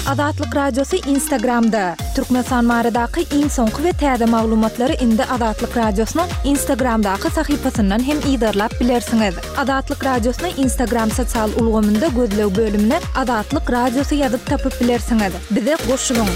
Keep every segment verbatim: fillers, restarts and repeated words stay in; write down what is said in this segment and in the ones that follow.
Azatlyk Radiosy Instagramda! Türkmenistan baradaky iň soňky we täze maglumatlary indi Azatlyk Radiosynyň Instagramdaky sahypasyndan hem yzarlap bilersiňiz. Azatlyk Radiosyny Instagram sosial ulgamynda gözleg bölümine Azatlyk Radiosy ýazyp tapyp bilersiňiz. Bize goşulyň!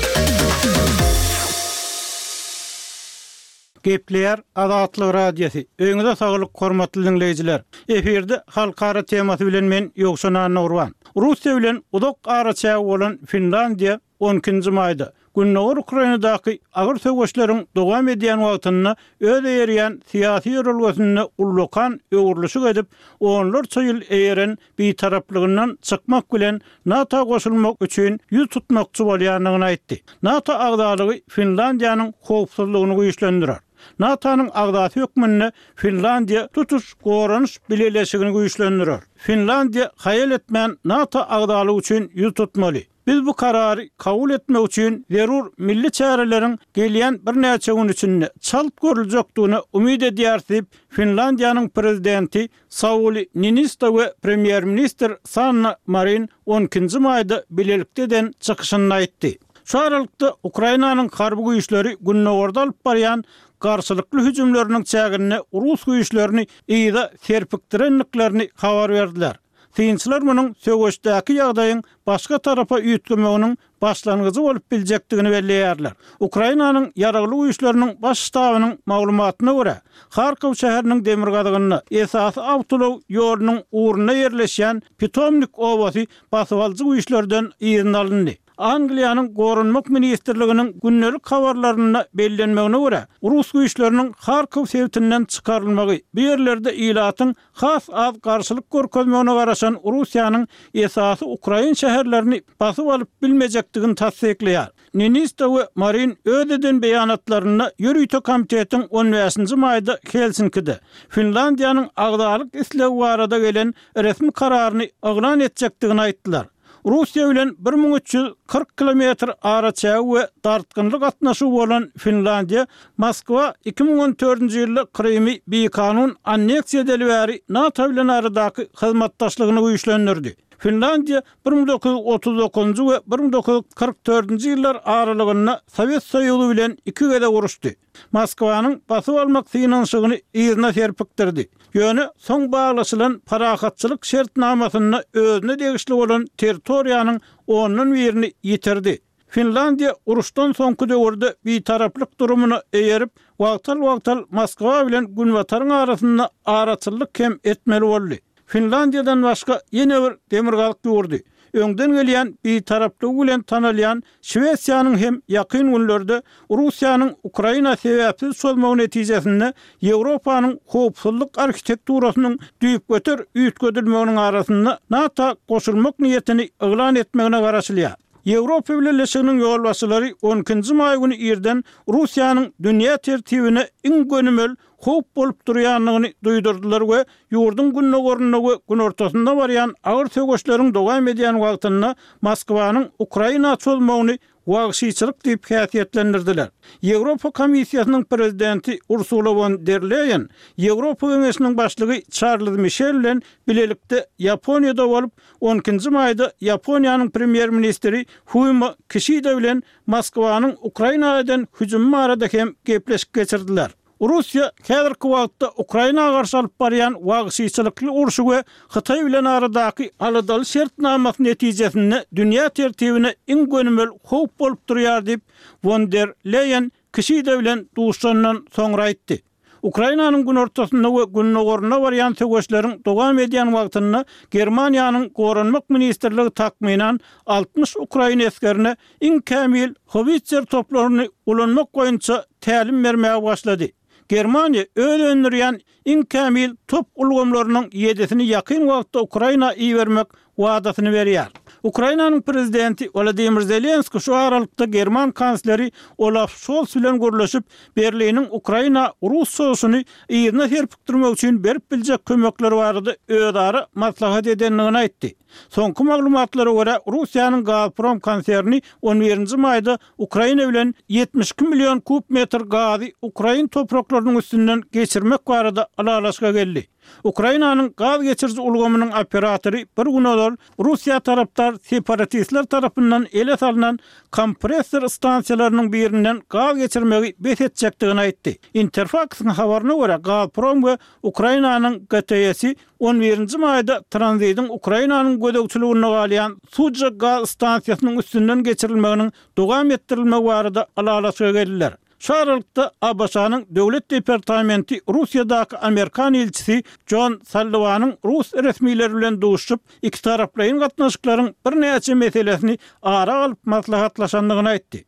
Gepleýär Azatlyk Radiosy. Öýüňize saglyk, hormatly diňleýjiler. Efirde halkara temasy bilen men Ýowşan Annagurban. Russiýa bilen uzak araçägi bolan Finlandiýa on ikinji maýda Gündogar Ukrainadaky agyr söweşleriň dowam edýän wagtynda öz eýerýän syýasy ýörelgesinde ullakan öwrülişik edip, onlarça ýyl eýeren bitaraplygyndan çykmak bilen NATO goşulmak üçin ýüz tutmakçy bolýandygyny aýtdy. NATO agzalygy Finlandiýanyň howpsuzlygyny güýçlendirer. NATO-nyň agzasy hökmünde Finlandiýa tutuş goranyş bileleşigini güýçlendirer. Finlandiýa haýal etmän NATO agzalygy üçin ýüz tutmaly. Biz bu karary kabul etmek üçin zerur milli çäreleriň gelýän birnäçe gün içinde çalt görüljekdigine umyt edýäris diýip, Finlandiýanyň Prezidenti Sauli Niinisto we Premýer-ministr Sanna Marin on ikinji maýda bilelikde eden çykyşynda aýtdy. Şu aralykda, Ukrainanyň harby güýçleri gündogarda alyp barýan garşylykly hüjümleriniň çäginde rus güýçlerini yza serpikdirendiklerini habar berdiler. Synçylar munuň söweşdäki ýagdaýyň başga tarapa üýtgemeginiň başlangyjy bolup biljekdigini belleýärler. Ukrainanyň Ýaragly Güýçleriniň Baş ştabynyň maglumatyna görä, Harkow şäheriniň demirgazygynda, esasy awtoulag ýolunyň ugrunda ýerleşýän Pitomnik obasy basybalyjy güýçlerden yzyna alyndy. Angliýanyň Goranmak ministrliginiň gündelik habarlarynda bellenmegine görä, rus güýçleriniň Harkow sebitinden çykarylmagy bu ýerlerde ilatyň has az garşylyk görkezmegine garaşan Russiýanyň esasy ukrain şäherlerini basyp alyp bilmejekdigini tassyklaýar. Niinisto we Marin öz eden beýanatlarynda ýörite komitetiň on bäşinji maýda Helsinkide Finlandiýanyň agzalyk islegi barada gelen resmi kararyny yglan etjekdigini aýtdylar. Russiýa bilen bir müň üç ýüz kyrk kilometr araçägi we dartgynly gatnaşygy bolan Finlandiýa Moskwa iki müň on dördünji ýylda Krymy bikanun anneksiýa edeli bäri NATO bilen aradaky hyzmatdaşlygyny güýçlendirdi. Finlandiýa bir müň dokuz ýüz otuz dokuzynjy we bir müň dokuz ýüz kyrk dördünji ýyllar aralygynda Sowet Soýuzy bilen iki gezek uruşdy. Moskwanyň basyp almak synanyşygyny yzyna serpikdirdi. Ýöne soň baglaşylan parahatçylyk şertnamasynda özüne degişli bolan territoriýanyň ondan birini ýitirdi. Finlandiýa uruşdan soňky döwürde bitaraplyk durumyna eýerip, wagtal-wagtal Moskwa bilen Günbataryň arasynda araçyllyk hem etmeli boldy. Finlandiýadan başga ýene bir demirgazyk ýurdy, öňden gelýän bitaraplygy bilen tanalýan Şwesiýanyň hem ýakyn günlerde Russiýanyň Ukraina sebäpsiz çozmagy netijesinde Ýewropanyň howpsuzlyk arhitekturasynyň düýpgöter üýtgedilmeginiň arasynda NATO goşulmak niýetini yglan etmegine garaşylýar. Ýewropa Bileleşiginiň ýolbaşçylary on ikinji maý güni irden Russiýanyň dünýä tertibine iň gönümel howp bolup durýandygyny duýdurdylar we ýurduň gündogarynda we günortasynda barýan agyr söweşleriň dowam edýän wagtynda Moskwanyň Ukraina çozmagyny wagşyçylyk diýip häsiýetlendirdiler. Ýewropa Komissiýasynyň prezidenti Ursula won der Leýen Ýewropa Geňeşiniň başlygy Çarlz Mişel bilen bilelikde Ýaponiýada bolup, on ikinji maýda Ýaponiýanyň premýer-ministri Fumio Kişida bilen Moskwanyň Ukraina eden hüjümi barada hem gepleşik geçirdiler. Russiýa häzirki wagtda Ukraina garşy alyp barýan wagşyçylykly urşy we Hytaý bilen aradaky aladaly şertnamasy netijesinde dünýä tertibine iň gönümel howp bolup durýar diýip, Won der Leýen Kişida bilen duşuşandan soňra aýtdy. Ukrainanyň günortasynda we gündogarynda barýan söweşleriň dowam edýän wagtynda Germaniýanyň Goranmak ministrligi takmynan altmyş ukrain esgerine iň kämil howitzer toplaryny ulanmak boýunça tälim bermäge başlady. Germaniýa öz öndürýän iň kämil top ulgamlarynyň ýedisini ýakyn wagtda Ukraina ibermek wadasyny berýär. Ukrainanyň prezidenti Wolodymyr Zelenskiý şu aralykda german kansleri Olaf Şols bilen gürleşip, Berliniň Ukraina rus çozuşyny yzyna serpikdirmek üçin berip biljek kömekleri barada özara maslahat edendigini aýtdy. Soňky maglumatlara görä, Russiýanyň Gazprom konserni on birinji maýda Ukraina bilen ýetmiş iki million kub metr gazy ukrain topraklarynyň üstünden geçirmek barada ylalaşyga geldi. Ukrainanyň gaz geçiriji ulgamynyň operatory bir gün ozal Russiýa tarapdar separatistler tarapyndan ele salnan kompressor stansiýalarynyň birinden gaz geçirmegi bes etjekdigini aýtdy. Interfaksyň habaryna görä, Gazprom we Ukrainanyň GTS-i on birinji maýda tranzidiň Ukrainanyň gözegçiliginde galýan Sudzha gaz stansiýasynyň üstünden geçirilmeginiň dowam etdirilmegi barada ylalaşyga geldiler. Şu aralykda, ABŞ-nyň Döwlet departamenti Russiýadaky amerikan ilçisi Jon Salliwanyň rus resmileri bilen duşuşyp, ikitaraplaýyn gatnaşyklaryň birnäçe meselesini ara alyp maslahatlaşandygyny aýtdy.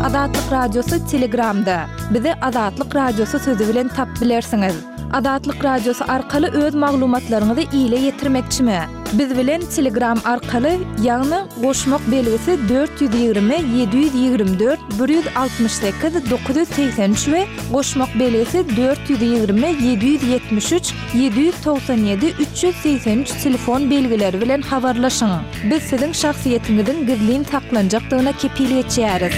Azatlyk Radiosy Telegramda. Bizi Azatlyk Radiosy sözi bilen tapyp bilersiňiz. Azatlyk Radiosy arkaly öz maglumatlaryňyzy ile ýetirmekçimi? Biz bilen Telegram arkaly, ýagny goşmak belgisi dört ýüz ýigrimi ýedi ýüz ýigrimi dört bir ýüz altmyş sekiz dokuz ýüz segsen üç we goşmak belgisi dört ýüz ýigrimi ýedi ýüz ýetmiş üç ýedi ýüz togsan ýedi üç ýüz segsen üç telefon belgileri bilen habarlaşyň. Biz siziň şahsyýetiňiziň gizlin saklanjakdygyna kepil geçýäris.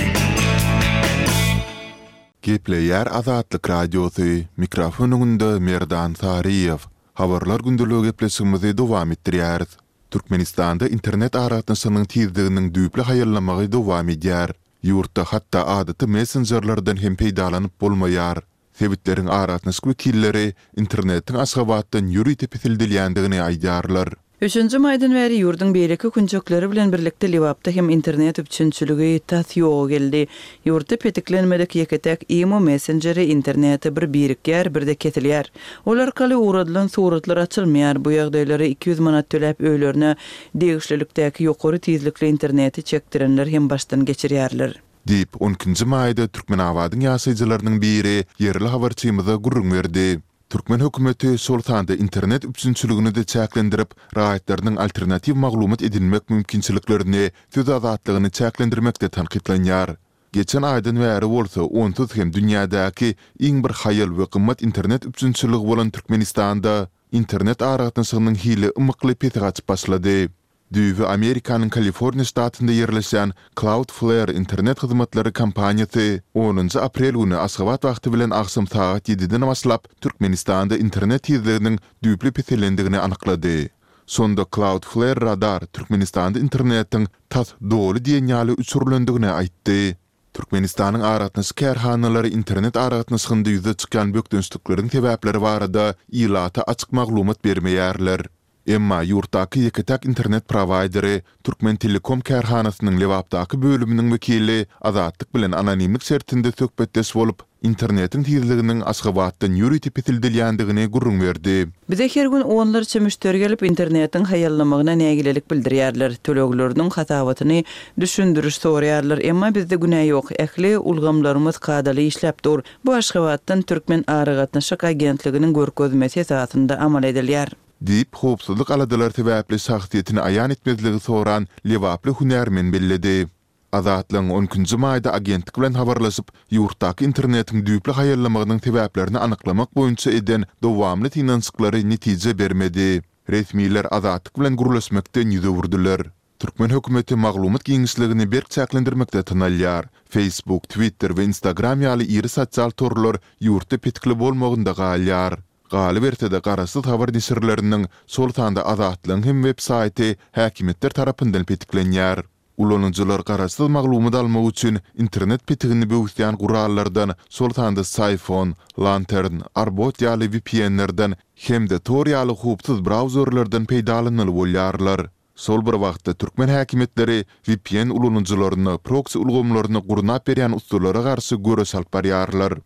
Gepleýär Azatlyk Radiosy, mikrofon öňünde Merdan Saryýew. Habarlar gündeligi gepleşigimizi dowam etdirýäris. Türkmenistanda internet aragatnaşygynyň tizliginiň düýpli haýallamagy dowam edýär. Ýurtda hatda adaty messenjerlerden hem peýdalanyp bolmaýar. Sebitleriň aragatnaşyk wekilleri internetiň Aşgabatdan ýörite peseldilýändigini aýdýarlar. Üçünji maýdan bäri ýurduň beýleki künjekleri bilen birlikde Lebapda hem internet üpjünçiligi tas ýoga geldi. Ýurtda petiklenmedik ýeke-täk imo messenjeri internete bir birikýär, bir-de kesilýär. Ol arkaly ugradylan suratlar açylmaýar. Bu ýagdaýlary iki ýüz manat töläp öýlerine degişlilikdäki ýokary tizlikli interneti çekdirenler hem başdan geçirýärler. Diýip, on ikinji maýda Türkmenabadyň ýaşaýjylarynyň biri ýerli habarçymyza gürrüň berdi. Türkmen hökümeti şol sanda internet üpjünçiligini-de çäklendirip, raýatlarynyň alternatiw maglumat edinmek mümkinçiliklerini, söz azatlygyny çäklendirmekde tankytlanýar. Geçen aýdan bäri bolsa onsuz hem dünýädäki iň bir haýal we gymmat internet üpjünçiligi bolan Türkmenistanda internet aragatnaşygynyň hili ymykly pese gaçyp başlady. Düýbi Amerikanyň Kaliforniýa ştatynda ýerleşýän Cloudflare internet hyzmatlary kompaniýasy onunjy aprel güni Aşgabat wagty bilen agşam sagat ýediden başlap Türkmenistanda internet tizliginiň düýpli peselendigini anyklady. Şonda Cloudflare Radar Türkmenistanda internetiň tas doly diýen ýaly öçürilendigini aýtdy. Türkmenistanyň aragatnaşyk kärhanalary internet aragatnaşygynda ýüze çykýan bökdençlikleriň sebäpleri barada ilata açyk maglumat bermeýärler. Emma ýurtdaky ýeke-täk internet prowaýderi Türkmentelekom kärhanasynyň Lebapdaky bölüminiň wekili Azatlyk bilen anonimlik şertinde söhbetdeş bolup, internetiň tizliginiň Aşgabatdan ýörite peseldilýändigini gürrüň berdi. Bize her gün onlarça müşderi gelip, internetiň haýallamagyna nägilelik bildirýärler, tölegleriniň hasabatyny, düşündiriş soraýarlar. Emma bizde günä ýok, ähli ulgamlarymyz kadaly işläp dur. Bu Aşgabatdan Türkmenaragatnaşyk agentliginiň görkezmesi esasynda amal edilýär. Diýip, howpsuzlyk aladalary sebäpli şahsyýetini aýan etmezligi soran lebaply hünärmen belledi. Azatlygyň on ikinji maýda agentlik bilen habarlaşyp, ýurtdaky internetiň düýpli haýallamagynyň sebäplerini anyklamak boýunça eden dowamly synanyşyklary netije bermedi. Resmiler Azatlyk bilen gürleşmekden ýüz öwürdiler. Türkmen hökümeti maglumat giňişligini berk çäklendirmekde tanalýar. Facebook, Twitter we Instagram ýaly iri sosial torlar ýurtda petikli bolmagynda galýar. Galyberse-de, garaşsyz habar neşirleriniň, şol sanda Azatlygyň hem web saýty häkimiýetler tarapyndan petiklenýär. Ulanyjylar garaşsyz maglumat almak üçin internet petigini böwüsýän gurallardan, şol sanda Psiphon, Lantern, Arbot ýaly V P N-lerden hem-de Tor ýaly howpsuz brauzerlerden peýdalanmaly bolýarlar. Şol bir wagtda türkmen häkimiýetleri V P N ulanyjylaryna proksi ulgamlaryny gurnap berýän ussalara garşy göreş alyp barýarlar.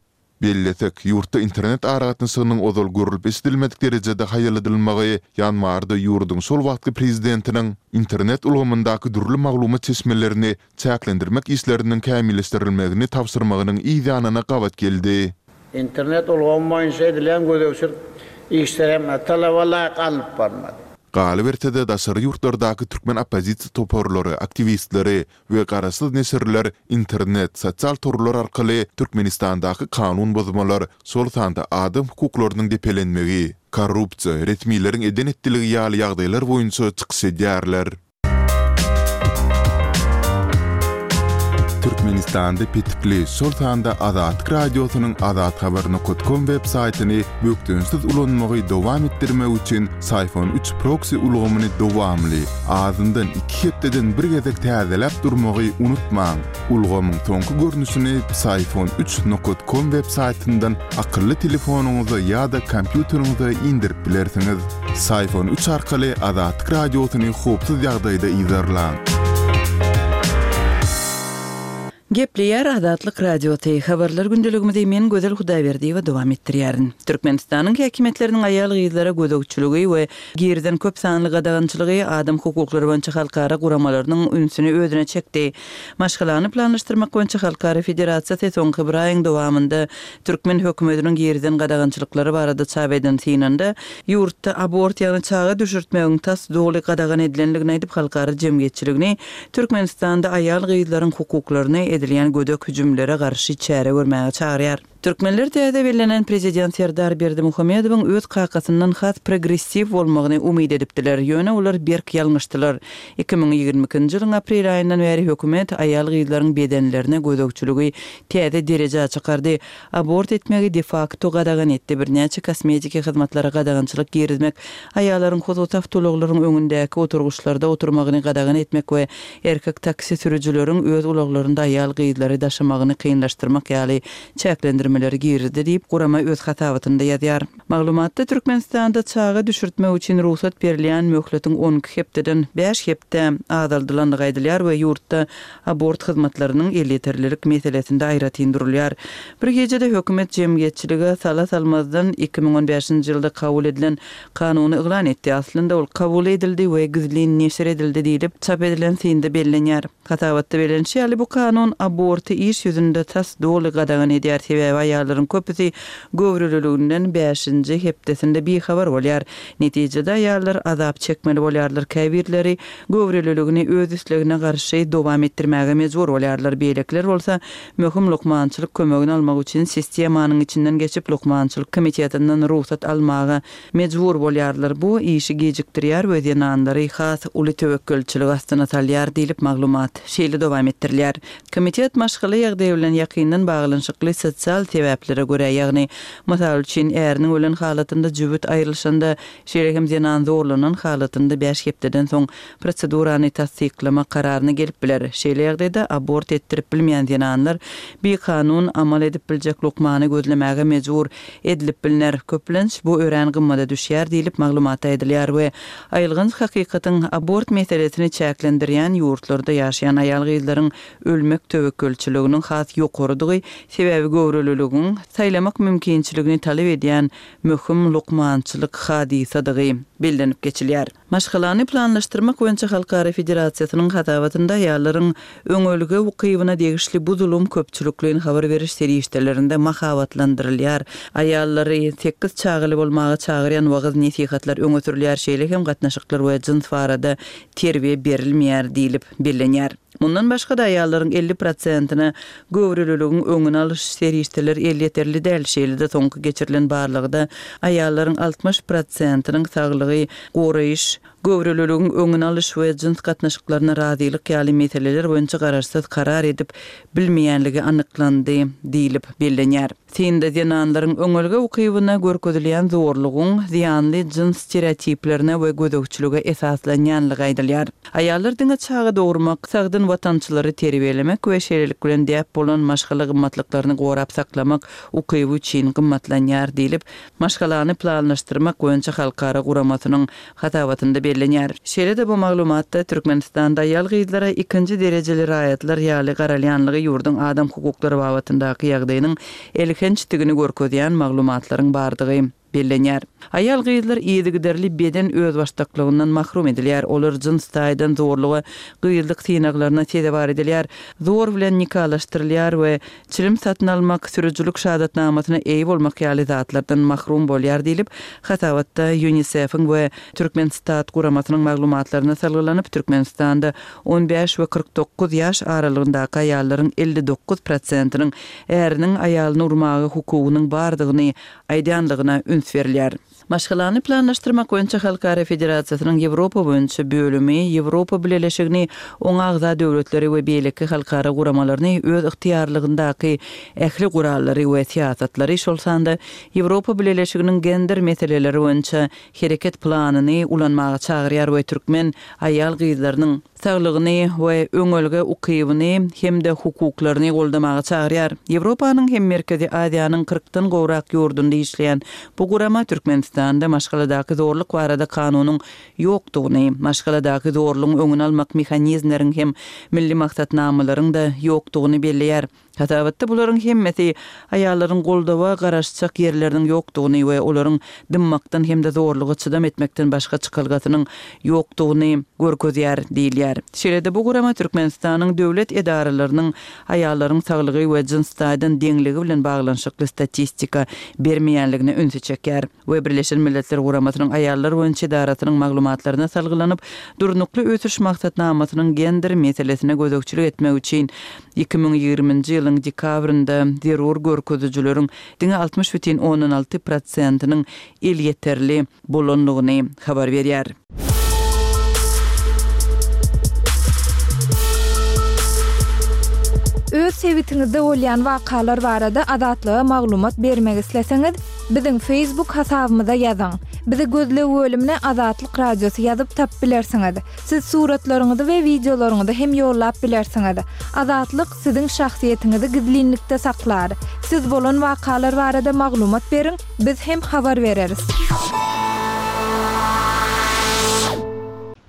Bellesek, ýurtda internet aragatnaşygynyň ozal görülip-eşidilmedik derejede haýalladylmagy ýanwarda ýurduň şol wagtky prezidentiniň internet ulgamyndaky dürli maglumat çeşmelerini çäklendirmek işleriniň kämilleşdirilmegini tabşyrmagynyň yz ýanyna gabat geldi. Internet ulgamy boýunça edilen gözegçilik işleri hem talaba laýyk alnyp barylmady. Galyberse-de, daşary ýurtlardaky türkmen oppozisiýa toparlary, aktiwistleri we garaşsyz neşirler internet, sosial torlar arkaly Türkmenistandaky kanun bozmalar, şol sanda adam hukuklarynyň depelenmegi, korrupsiýa, resmileriň eden-etdiligi ýaly ýagdaýlar boýunça çykyş edýärler. Türkmenistanda petikli, şol sanda Azatlyk Radiosynyň azathabar nokat kom web saýtyny bökdençsiz ulanmagy dowam etdirmek üçin Syfon üç proksi ulgamyny dowamly, azyndan iki hepdeden bir gezek täzeläp durmagy unutmaň. Ulgamyň soňky görnüşini Syfon üç nokat kom web saýtyndan akylly telefonyňyza ýa-da kompýuteriňize indirip bilersiňiz. Syfon üç arkaly Azatlyk Radiosyny howpsuz ýagdaýda yzarlaň. Gepleýär Azatlyk Radiosy. Habarlar gündeligimizi men Gözel Hudaýberdiýewa dowam etdirýärin. Türkmenistanyň häkimiýetleriniň aýal-gyzlara gözegçiligi we girizen köp sanly gadagançylygy adam hukuklary boýunça halkara guramalarynyň ünsüni özüne çekdi. Maşgalany planlaşdyrmak boýunça halkara federasiýasy soňky bir aýyň dowamynda türkmen hökümetiniň girizen gadagançylyklary barada çap eden synynda ýurtda abort ýagny çaga düşürtmegiň tas doly gadagan edilendigini aýdyp halkara jemgyýetçiligini Türkmenistanda aýal-gyzlaryň hukuklaryny edilýän gödek hüjümlere garşy çäre görmäge çagyrýar. Türkmenler täze bellenen prezident Serdar Berdimuhamedowyň öz kakasyndan has progressiw bolmagyny umyt edipdiler. Ýöne olar berk ýalňyşdylar. Iki müň ýigrimi ikinji ýylyň aprel aýyndan bäri hökümet aýal-gyzlaryň bedenlerine gözegçiligi täze derejä çykardy. Abort etmegi de facto gadagan etdi. Birnäçe kosmetiki hyzmatlara gadagançylyk girizmek, aýallaryň hususy awtoulaglaryň öňündäki oturgyçlarda oturmagyny gadagan etmek we erkek taksi sürüjileriň öz ulaglarynda aýal-gyzlary daşamagyny kynlaşdyrmak ýaly çäklendirmeleri girdi diýip gurama öz hasabatynda ýazýar. Maglumatda Türkmenistanda çaga düşürtmek üçin rugsat berilýän möhletiň on iki hepdeden bäş hepde azaldylandygy aýdylýar we ýurtda abort hyzmatlarynyň elýeterlilik meselesinde aýratyn durulýar. Bir gecede hökümet jemgyýetçilige sala salmazdan iki müň on bäşinji ýylda kabul edilen kanuny yglan etdi. Aslynda ol kabul edildi we gizlin neşir edildi diýlip çap edilen synda bellenýär. Hasabatda bellenişi ýaly bu kanun aborty iş ýüzünde tas doly gadagan edýär. Sebäbi aýallaryň köpüsi göwreliliginden bäşinji hepdesinde bihabar bolýar. Netijede aýallar azap çekmeli bolýarlar. Käbirleri göwreliligini öz islegine garşy dowam etdirmäge mejbur bolýarlar. Beýlekiler bolsa möhüm lukmançylyk kömegini almak üçin sistemanyň içinden geçip lukmançylyk komitetinden rugsat almaga mejbur bolýarlar. Bu işi gecikdirýär we zenanlary has uly töwekgelçilik astyna salýar diýlip maglumat şeýle dowam etdirilýär. Komitet maşgala ýagdaýy bilen ýakyndan baglanyşykly sosial sebäplere görä, ýagny mysal üçin äriniň ölen halatynda jübüt aýrylyşanda, şeýle hem zenan zorlanan halatynda bäş hepdeden soň prosedurany tassyklama kararyna gelip biler. Şeýle ýagdaýda abort etdirip bilmeýän zenanlar bir kanun amal edip biljek lukmany gözlemäge mejbur edilip bilner. Köplenç bu örän gymmada düşýär diýlip maglumat aýdylýar we aýylganç hakykatyň abort meselesini çäklendirýän ýurtlarda ýaşaýan aýal-gyzlaryň ölmek töwekgelçiliginiň has ýokarydygy, sebäbi göwreliligiň saýlamak mümkinçiligini talap edýän möhüm lukmançylyk hadysadygy bellenip geçilýär. Maşgalany planlaşdyrmak boýunça Halkara Federasiýasynyň hasabatynda aýallaryň öňelge ukybyna degişli bu zulum köpçülikleýin habar beriş serişdelerinde mahabatlandyrylýar. Aýallary sekiz çagaly bolmaga çagyrýan wagyz nesihatlar öňe sürülýär, şeýle hem gatnaşyklar we jyns barada terbiýe berilmeýär diýlip bellenýär. Mundan başga da aýallaryň elli prosentine göwreliligiň öňüni alyş serişdeleri elýeterli däl. Şeýle-de soňky geçirilen barlagda aýallaryň altmyş prosentiniň saglygy goraýyş, göwreliligiň öňüni alyş we jyns gatnaşyklaryna razylyk ýaly meseleler boýunça garaşsyz karar edip bilmeýänligi anyklandy diýlip bellenýär. Synda zenanlaryň öňelge ukybyna görkezilýän zorlugyň zyýanly jyns stereotiplerine we gözegçilige esaslanýanlygy aýdylýar. Aýallar diňe çaga dogurmak, sagdyn watançylary terbiýelemek we şeýlelik bilen däp bolan maşgala gymmatlyklaryny gorap saklamak ukyby üçin gymmatlanýar diýlip, maşgalany planlaşdyrmak boýunça halkara guramasynyň hasabatynda bellenýär. Şeýle-de bu maglumatda Türkmenistanda aýal-gyzlara ikinji derejeli raýatlar ýaly garalýanlygy ýurduň adam hukuklary babatyndaky ýagdaýynyň elhençdigini görkezýän maglumatlaryň bardygy bellenýär. Aýal-gyzlar yzygiderli beden özbaşdaklygyndan mahrum edilýär. Olar jyns taýdan zorluga, gyzlyk synaglaryna sezewar edilýär. Zor bilen nikalaşdyrylýar we çilim satyn almak, sürüjilik şahadatnamasyna eýe bolmak ýaly zatlardan mahrum bolýar diýlip, hasabatda UNICEF-iň we Türkmenstat guramasynyň maglumatlaryna salgylanyp, Türkmenistanda on bäş we kyrk dokuz ýaş aralygyndaky aýallaryň elli dokuz prosentiniň äriniň aýalyny urmaga hukugynyň bardygyny aýdýanlygyna üns berilýär. Maşgalany planlaşdyrmak boýunça Halkara Federasiýasynyň Ýewropa boýunça bölümi Ýewropa Bileleşigini, oňa agza döwletleri we beýleki halkara guramalaryny öz ygtyýarlygyndaky ähli gurallary we syýasatlary, şol sanda Ýewropa Bileleşiginiň gender meseleleri boýunça hereket planyny ulanmaga çagyrýar we türkmen aýal-gyzlarynyň saglygyny we öňelge ukybyny hem-de hukuklaryny goldamaga çagyrýar. Ýewropanyň hem Merkezi Aziýanyň kyrkdan gowrak ýurdunda işleýän bu gurama Türkmenistanda maşgaladaky zorluk barada kanunyň ýokdugyny, maşgaladaky zorlugyň öňüni almak mehanizmleriň hem milli maksatnamalaryň-da ýokdugyny belleýär. Hasabatda bularyň hemmesi aýallaryň goldawa garaşjak ýerleriniň ýokdugyny we olaryň dymmakdan hem-de zorluga çydam etmekden başga çykalgasynyň ýokdugyny görkezýär diýilýär. Şeýle-de bu gurama Türkmenistanyň döwlet edaralarynyň aýallaryň saglygy we jyns taýdan deňligi bilen baglanyşykly statistika bermeýänligine ünsi çekýär we Birleşen Milletler Guramasynyň Aýallar boýunça edarasynyň maglumatlaryna salgylanyp, Durnukly ösüş maksatnamasynyň gender meselesine gözegçilik etmek üçin iki müň ýigriminji ýylyň dekabrynda zerur görkezijileriň diňe altmyş bütin ondan alty prosentiniň elýeterli bolandygyny habar berýär. Öz sebitiňizde bolýan wakalar barada Azatlyga maglumat bermek isleseňiz, biziň Facebook hasabymyza ýazyň. Bizi gözleg bölümine Azatlyk Radiosy ýazyp tapyp bilersiňiz. Siz suratlaryňyzy we wideolaryňyzy hem ýollap bilersiňiz. Azatlyk siziň şahsyýetiňizi gizlinlikde saklar. Siz bolan wakalar barada maglumat beriň, biz hem habar bereris.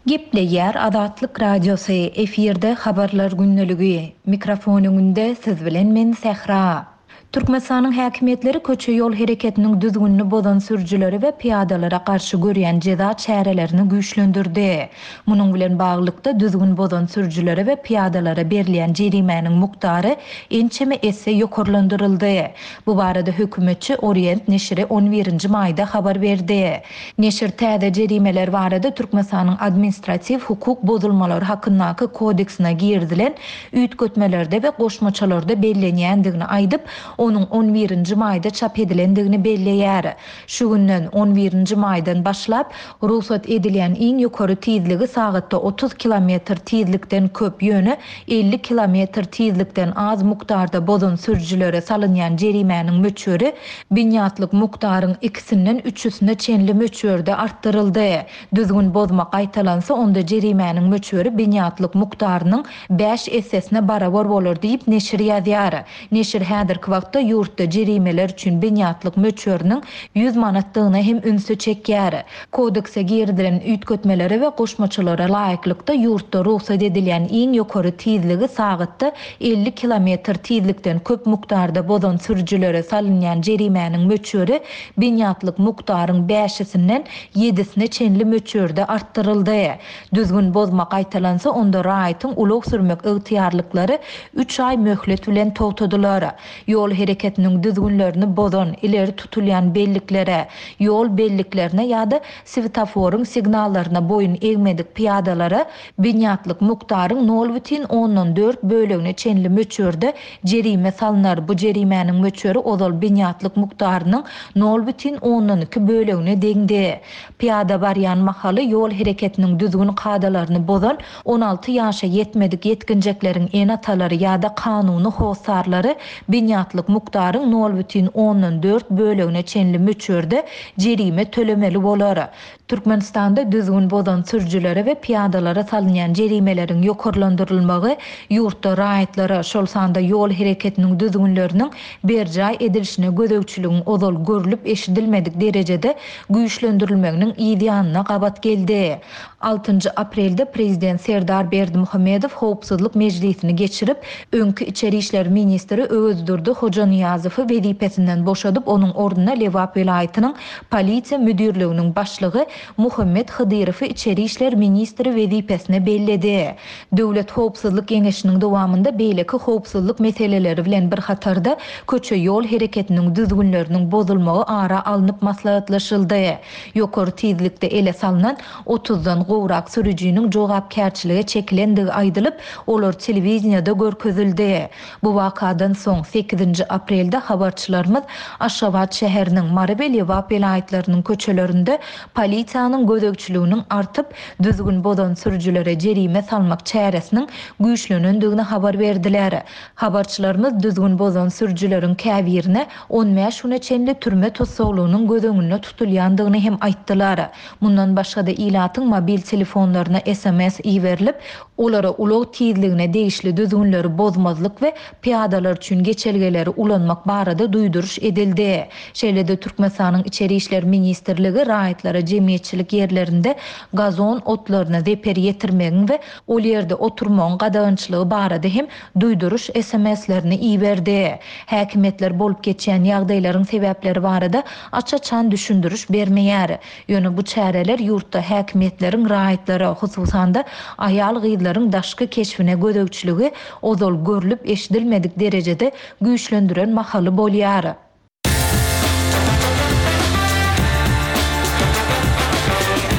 Gepleýär Azatlyk Radiosy, efirde habarlar gündeligi. Mikrofon öňünde siz bilen men Sähra. Türkmenistanyň häkimiýetleri köçe ýol hereketiniň düzgünini bozan sürüjilere we pyýadalara garşy görýän jeza çärelerini güýçlendirdi. Munuň bilen baglylykda düzgün bozan sürüjilere we pyýadalara berilýän jerimäniň mukdary ençeme esse ýokarlandyryldy. Bu barada hökümetçi Orient neşiri on birinji maýda habar berdi. Neşir täze jerimeler barada Türkmenistanyň administratiw hukuk bozulmalary hakyndaky kodeksine girizilen üýtgetmelerde we goşmaçalarda bellenýändigini aýdyp, onuň on birinji maýda çap edilendigini belleýär. Şu günden on birinji maýdan başlap, rugsat edilýän iň ýokary tizligi sagatda otuz kilometr tizlikden köp, ýöne elli kilometr tizlikden az mukdarda bozan sürüjilere salynýan jerimäniň möçberi binýatlyk mukdaryň ikisinden üçüsine çenli möçberde artdyryldy. Düzgün bozma gaýtalansa, onda jerimäniň möçberi binýatlyk mukdarynyň bäş essesine barabar bolar diýip neşir ýazýar. Neşir häzirki wagtda ýurtda jerimeler üçin binýatlyk möçberiniň ýüz manatdygyna hem ünsi çekýär. Kodekse girizilen üýtgetmelere we goşmaçalara laýyklykda ýurtda rugsat edilýän iň ýokary tizligi sagatda elli kilometr tizlikden köp mukdarda bozan sürüjilere salynýan jerimäniň möçberi binýatlyk mukdaryň bäşisinden ýedisine çenli möçberde artdyryldy. Düzgün bozma gaýtalansa, onda raýatyň ulag sürmek ygtyýarlyklary üç aý möhlet bilen togtadylar. Ýol hereketiniň düzgünlerini bozan, ileri tutulýan belliklere, ýol belliklerine ýa-da svetoforyň signallaryna boýun egmedik pyýadalara binýatlyk mukdaryň nol bütin ondan dört bölegine çenli möçberde jerime salynar. Bu jerimäniň möçberi ozal binýatlyk mukdarynyň nol bütin ondan iki bölegine deňdi. Pyýada barýan mahaly ýol hereketiniň düzgün kadalaryny bozan on alty ýaşa ýetmedik ýetginjekleriň ene-atalary ýa-da kanuny hossarlary binýatlyk mukdaryň nol bütin ondan dört bölegine çenli möçberde jerime tölemeli bolar. Türkmenistanda düzgün bozan sürüjilere we pyýadalara salynýan jerimeleriň ýokarlandyrylmagy ýurtda raýatlara, şol sanda ýol hereketiniň düzgünleriniň berjaý edilişine gözegçiligiň ozal görlüp eşidilmedik derejede güýçlendirilmeginiň ýanyna gabat geldi. Altynjy aprelde Prezident Serdar Berdimuhamedow howpsuzlyk mejlisini geçirip, öňki içeri işler ministri Öwezdurdy Hojanyýazowy wezipesinden boşadyp, onuň ornuna Lebap welaýatynyň polisiýa müdirliginiň başlygy Muhammet Hydyrowy içeri işler ministri wezipesine belledi. Döwlet howpsuzlyk geňeşiniň dowamynda beýleki howpsuzlyk meseleleri bilen bir hatarda köçe ýol hereketiniň düzgünleriniň bozulmagy ara alnyp maslahatlaşyldy. Ýokary tizlikde ele salynan otuzdan gowrak sürüjiniň jogapkärçilige çekilendigi aýdylyp, olar telewideniýede görkezildi. Bu wakadan soň, sekizinji aprelde habarçylarymyz Aşgabat şäheriniň, Mary we Lebap welaýatlarynyň köçelerinde polisiýanyň gözegçiliginiň artyp, düzgün bozan sürüjilere jerime salmak çäresiniň güýçlenendigini habar berdiler. Habarçylarymyz düzgün bozan sürüjileriň käbirine on bäş güne çenli türme tussaglygynyň göz öňünde tutulýandygyny hem aýtdylar. Mundan başga-da ilatyň mobil telefonlaryna S M S iberilip, olara ulag tizligine degişli düzgünleri bozmazlyk we pyýadalar üçin geçelgeleri ulanmak barada duýduryş edildi. Şeýle-de Türkmenistanyň Içeri İşler Ministrligi raýatlara jemgyýetçilik ýerlerinde gazon otlaryna zeper ýetirmegiň we ol ýerde oturmagyň gadagançylygy barada hem duýduryş S M S-lerini iberdi. Häkimiýetler bolup geçýän ýagdaýlaryň sebäpleri barada aç-açan düşündiriş bermeýär. Ýöne bu çäreler ýurtda häkimiýetleriň raýatlara, hususan-da aýal-gyzlaryň daşky keşbine gözegçiligi ozal görlüp eşidilmedik derejede güýçlendiren mahaly bolýar.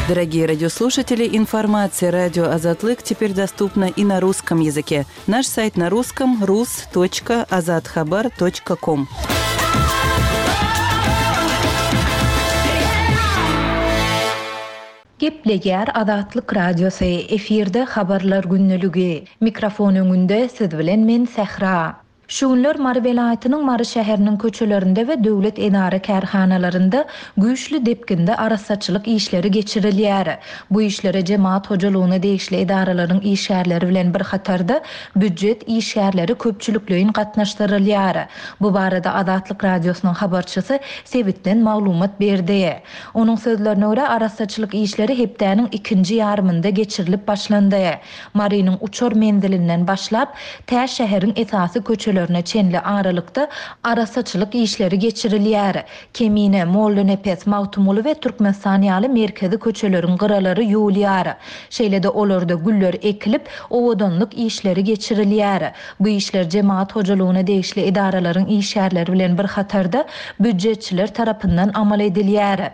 Дорогие радиослушатели, информация радио Азатлык теперь доступна и на русском языке. Наш сайт на русском rus точка azathabar точка com. Gepleýär Azatlyk Radiosy, efirde habarlar günlügi. Mikrofon öňünde siz bilen men Sähra. Şu günler Mary welaýatynyň Mary şäheriniň köçelerinde we döwlet edara kärhanalarynda güýçli depginde arassaçylyk işleri geçirilýär. Bu işlere jemaat hojalygyna degişli edaralaryň işgärleri bilen bir hatarda býujet işgärleri köpçülikleýin gatnaşdyrylýar. Bu barada Azatlyk Radiosynyň habarçysy sebitden maglumat berdi. Onuň sözlerine görä arassaçylyk işleri hepdäniň ikinji ýarymynda geçirilip başlandy. Marynyň uçar menzilinden başlap tä şäheriň esasy köçelerine çenli aralykda arassaçylyk işleri geçirilýär. Kemine, Mollanepes, Magtymguly we Türkmenistan ýaly merkezi köçeleriň gyralary ýuwulýar. Şeýle-de olarda güller ekilip, owadanlyk işleri geçirilýär. Bu işler jemaat hojalygyna degişli edaralaryň işgärleri bilen bir hatarda býujetçiler tarapyndan amal edilýär.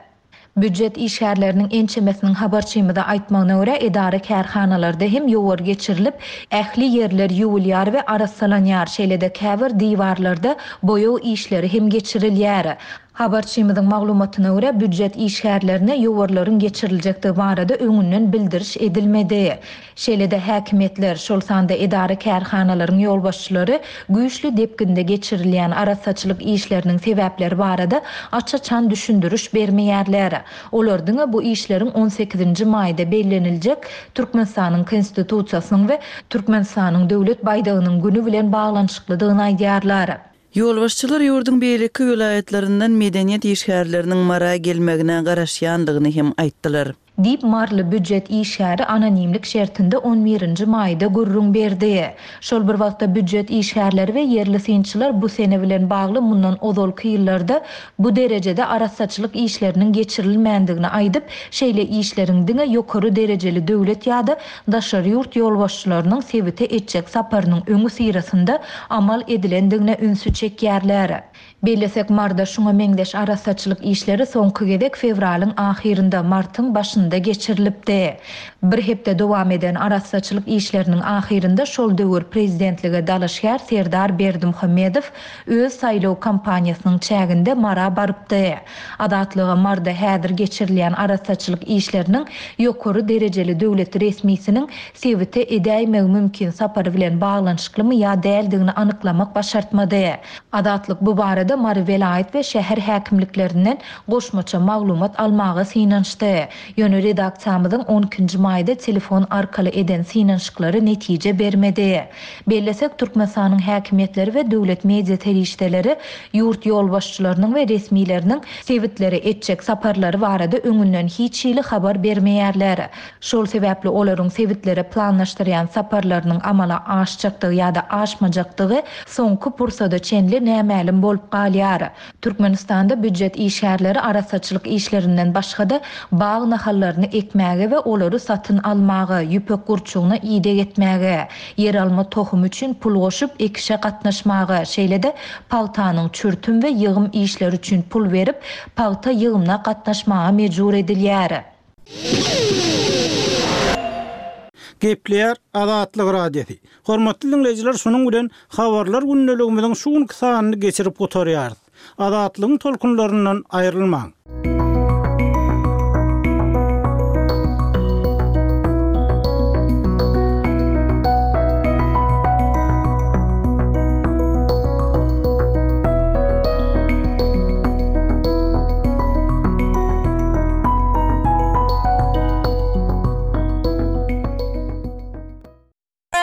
Býujet işgärleriniň ençemesiniň habarçymyza aýtmagyna görä edara kärhanalarda hem ýowar geçirilip, ähli ýerler ýuwulýar we arassalanýar. Şeýle-de käbir diwarlarda boýag işleri hem geçirilýär. Habarçymyzyň maglumatyna görä býujet işgärlerine ýowarlaryň geçiriljekdigi barada öňünden bildiriş edilmedi. Şeýle-de häkimiýetler, şol sanda edara kärhanalaryň ýolbaşçylary güýçli depginde geçirilýän arassaçylyk işleriniň sebäpleri barada aç-açan düşündiriş bermeýärler. Olar diňe bu işleriň on sekizinji maýda belleniljek Türkmenistanyň Konstitusiýasynyň we Türkmenistanyň döwlet baýdagynyň günü bilen baglanyşyklydygyny aýdýarlar. Ýolbaşçylar ýurduň beýleki welaýatlaryndan medeniýet işgärleriniň Mara gelmegine garaşýandygyny hem aýtdylar. Diýip Marly býujet işgäri anonimlik şertinde on birinji maýda gürrüň berdi. Şol bir wagtda býujet işgärleri we ýerli synçylar bu sene bilen bagly mundan ozalky ýyllarda bu derejede arassaçylyk işleriniň geçirilmändigini aýdyp, şeýle işleriň diňe ýokary derejeli döwlet ýa-da daşary ýurt ýolbaşçylarynyň sebite etjek saparynyň öňi syrasynda amal edilendigine ünsi çekýärler. Bellesek Marda şuňa meňzeş arassaçylyk işleri soňky gezek fewralyň ahyrynda martyň başynda geçirilipdi. Bir hepde dowam eden arassaçylyk işleriniň ahyrynda şol döwür prezidentlige dalaşgär Serdar Berdimuhamedow öz saýlaw kampaniýasynyň çäginde Mara barypdy. Azatlyga Marda häzir geçirilýän arassaçylyk işleriniň ýokary derejeli döwlet resmisiniň sebite edäýmegi mümkin sapary bilen baglanyşyklymy ýa däldigini anyklamak başartmady. Azatlyk bu barada Mary welaýat we şäher häkimliklerinden goşmaça maglumat almaga synanyşdy. Ýöne redaksiýamyzyň on ikinji maýda telefon arkaly eden synanyşyklary netije bermedi. Bellesek Türkmenistanyň häkimiýetleri we döwlet media serişdeleri ýurt ýolbaşçylarynyň we resmileriniň sebitlere etjek saparlary barada öňünden hiç hili habar bermeýärler. Şol sebäpli olaryň sebitlere planlaşdyrýan saparlarynyň amala aşjakdygy ýa-da aşmajakdygy soňky pursada çenli nämälim bolup galýar. Türkmenistanda býujet işgärleri arassaçylyk işlerinden başga-da bag nahallaryny ekmäge we olary satyn almaga, ýüpek gurçugyna ideg etmäge, ýer alma tohumy üçin pul goşup ekişe gatnaşmaga, şeýle-de pagtanyň çürtüm we ýygym işleri üçin pul berip, pagta ýygymyna gatnaşmaga mejbur edilýär. Gepleýär Azatlyk Radiosy. Hormatly diňleýjiler, şunuň bilen Habarlar gündeligimiziň şu günki sanyny geçirip gutarýarys. Azatlygyň tolkunlaryndan aýrylmaň!